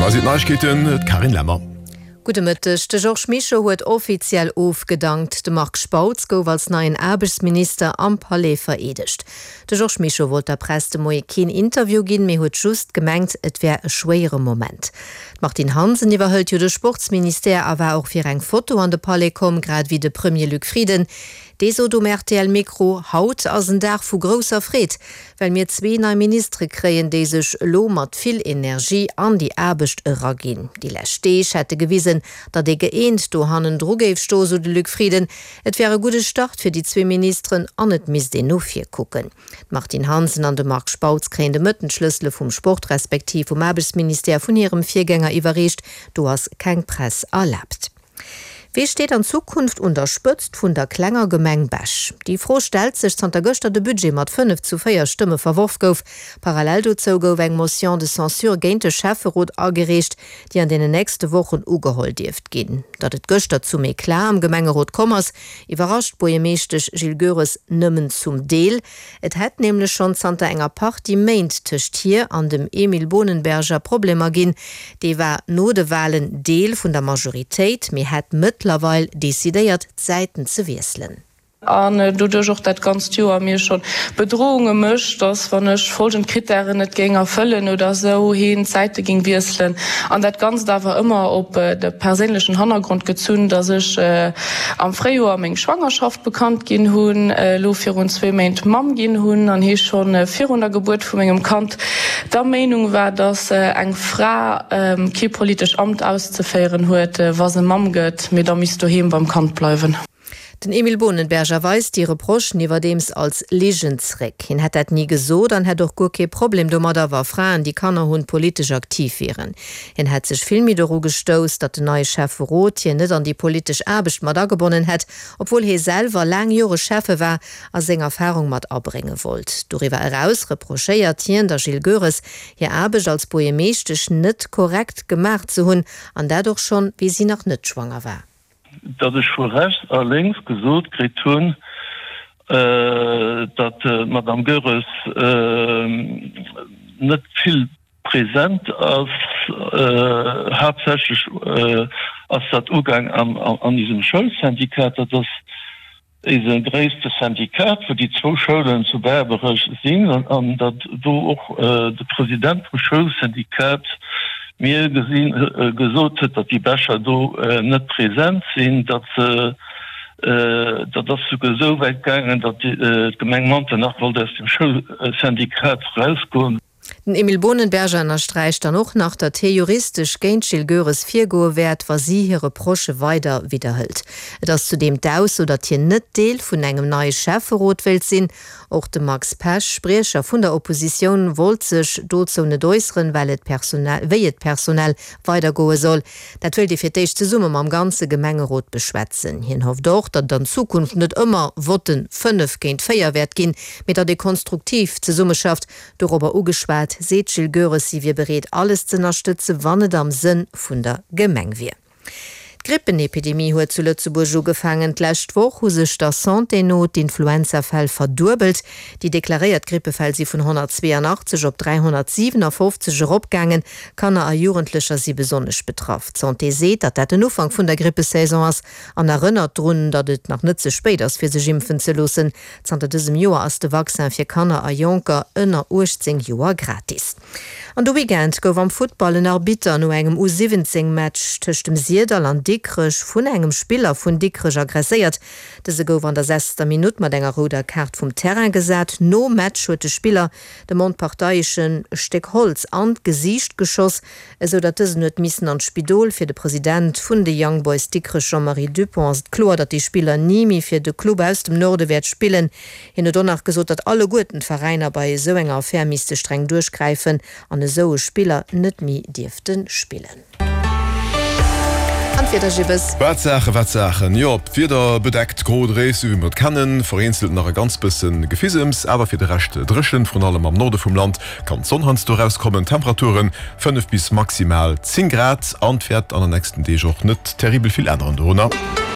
Hei sinn d'Neiegkeeten, d'Carine Lemmer. Gudde Mëtteg. De Georges Mischo huet offiziell ofgedankt. De Marc Spautz gouf als neien Aarbechtsminister am Palais vereedegt. De Georges Mischo wollt der Press de Moie keen Interview ginn, mee huet just gemengt, et wär e schwéiere Moment. D'Martine Hansen iwwerhëlt jo de Sportsministère a war och fir eng Foto an de Palais komm, grad ewéi de Premier Luc Frieden. Dee sot um RTL-Mikro, Haut ass en Dag vu grousser Freed, well mir zwee nei Ministere kréien, déi sech elo mat vill Energie an déi Aarbecht eraginn. Déi lescht Deeg hätte gewisen, datt ee gëeent do hannendru géif stoen, sou de Luc Frieden. Et wär e gudde Start fir déi zwee Ministeren an et misst een no vir kucken. D'Martine Hansen an de Marc Spautz kréien de Mëtten d'Schlëssele vum Sport respektiv vum Aarbechtsministère vun hirem Virgänger iwwerreecht. Do ass keng Press erlaabt. Wee steet an Zukunft un der Spëtzt vun der klenger Gemeng Bech? Déi Fro stellt sech, zanter gëschter de Budget mat 5 zu 4 Stëmme verworf gouf. Parallel dozou gouf eng Motion de censure géint de Schäfferot agereecht, déi an deenen nächste Wochen ugeholl dierft ginn. Datt et gëschter zum Eclat am Gemengerot komm ass, iwwerrascht d'Buergermeeschtesch Jill Goeres nëmmen zum Deel. Et hätt nämlech schonn zanter enger Partie Méint tëscht hir an dem Emile Bohnenberger Problemer ginn. Dee war no de Walen Deel vun der Majoritéit, mee hätt mëttlerweil decidéiert, d'Säiten ze wiesselen. An doduerch och dat ganzt Joer mir scho Bedrohunge mécht, dass wann ech folgend Krittären net géing erfëllen oder esou, heen d'Säite géing wiesselen. An dat Ganzt awer ëmmer op de perséinlechen Hannergrond gezunn, dass ech am Fréijoer meng Schwangerschaft bekannt ginn hunn, elo virun zwee Méint Mamm ginn hunn an hee scho virun der Gebuert vu mengem Kand der Meenung war, dass eng Fra kee politesch Amt auszeféieren huet, wa se Mamm gëtt, mee da misst doheem beim Kand bleiwen. Den Emile Bohnenberger weist déi Reprochen iwwerdeems als Ligen zréck. Hien hätt dat ni gesot an hätt och guer kee Problem domadder, wa Fraen, déi Kanner hunn, politesch aktiv wieren. Hien hätt sech vill méi doru gestouss, datt den neie Schäfferot hien net an déi politesch Aarbecht mat agebonnen hätt, obwuel hie selwer laang Jore Schäffe war a seng Erfarung mat abrénge wollt. Doriwwer eraus reprochéiert hien der Jill Goeres, hir Aarbecht als Buergermeeschtesch net korrekt gemaach ze hunn, an dat och schonn, wéi si nach net schwanger war. Datt ech vu rechts a lénks gesot kritt hunn, datt d'Madame Goeres net vill present ass, haaptsächlech ass dat ugaang an isem Schoulsyndikat, dat ass Eise gréisste Syndikat, wou déi zwou Schoulen zu Berbereg sinn, an datt do och de President vum Schoulsyndikat mir gesinn gesot huet, datt déi Becher do net present sinn, datt se, dat ass souguer esou wäit gaangen, datt d'Gemeng Manternach wollt aus dem Schoulsyndikat erausgoen. Den Emile Bohnenberger ënnersträicht dann och nach, datt hie juristesch géint d'Jill Goeres virgoe wäert, wa si hir Reprochë weider widderhëlt. Et ass zudeem d'Ausso, datt hien net Deel vun engem neie Schäfferot wéilt sinn. Och de Max Pesch, Spriecher vun der Oppositioun, wollt sech dozou net äusseren, well et personell, wéi et personell weidergoe soll. Dat wéilt ee fir d'éischt zesumme mam ganze Gemengerot beschwätzen. Hien hofft och, datt et an Zukunft net ëmmer Votten 5 géint 4 wäert ginn, mee datt ee konstruktiv zesummeschafft. Dorobber ugeschwat, seet d'Jill Goeres, si wier bereet alles z'ënnerstëtze wann et am Sënn vun der Gemeng wier. D'Grippenepidemie huet zu Lëtzebuerg ugefaangen. D'lescht Woch hu sech der Santé no d'Influenzafäll verduebelt. Déi deklaréiert Grippefäll si vun 182 op 357 eropgaangen. Kanner a Jugendlecher si besonnesch betraff. D'Santé seet, datt dat den Ufank vun der Grippesaison ass an erënnert drun, datt et nach net ze spéit ass fir sech impfen ze loossen. Zanter dësem Joer ass de Vaccin fir Kanner a Jonker ënner 18 Joer gratis. An de Weekend gouf am Futtball en Arbitter no engem U 17 Match tëscht dem Sirdall an Dikrech vun engem Spiller vun Dikrech aggresséiert. Dëse gouf an der sechster Minutt mat enger rouder Kaart vum Terrain gesat. Nom Match huet de Spiller dem Onparteieschen e Stéck Holz an d'Gesiicht geschoss. Esou datt dësen huet missen an d'Spidol. Fir de President vun de Young Boys Dikrech Jean-Marie Dupont ass et kloer, datt dee Spiller ni méi fir de Club aus dem Norde wäert spillen. Hien huet och nach gesot, datt alleguerten d'Veräiner bei esou enger Affär misste streng duerchgräifen an esou e Spiller net méi dierfte spillen. An d'Wieder, Gibbes? Wat Saachen, wat Saachen! Jo, d'Wieder bedeckt, gro, dréif, sou wéi mer et kennen, vereenzelt nach e ganz bësse Gefisems, awer fir de Rescht dréchen, vrun allem am Norde vum Land Kann d'Sonn heiansdo erauskommen, Temperaturen 5 bis maximal 10 Grad an et wäert an den nächsten Deeg och net terribel vill änneren dorunner.